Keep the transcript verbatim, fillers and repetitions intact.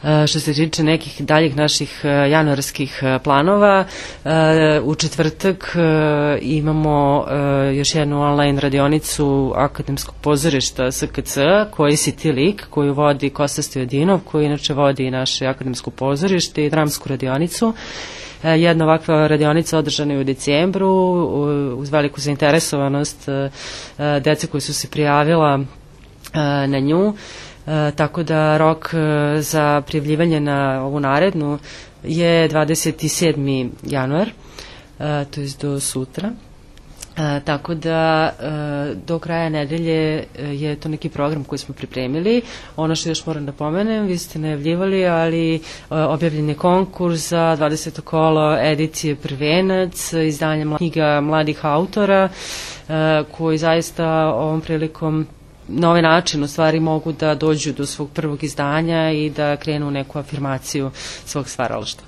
Što se tiče nekih daljih naših januarskih planova, u četvrtak imamo još jednu online radionicu Akademskog pozorišta S K C, koji si ti lik, koju vodi Kosta Stojadinov, koji inače vodi naše Akademsko pozorište i dramsku radionicu. Jedna ovakva radionica održana je u decembru uz veliku zainteresovanost dece koji su se prijavila na nju. E, tako da rok e, za prijavljivanje na ovu narednu je dvadeset sedmi januar, e, to je do sutra. E, tako da e, do kraja nedelje je to neki program koji smo pripremili. Ono što još moram da pomenem, vi ste najavljivali, ali e, objavljen je konkurs za dvadeseto kolo edicije Prvenac, izdanja knjiga mladih autora, e, koji zaista ovom prilikom na ovaj način u stvari mogu da dođu do svog prvog izdanja i da krenu u neku afirmaciju svog stvaralaštva.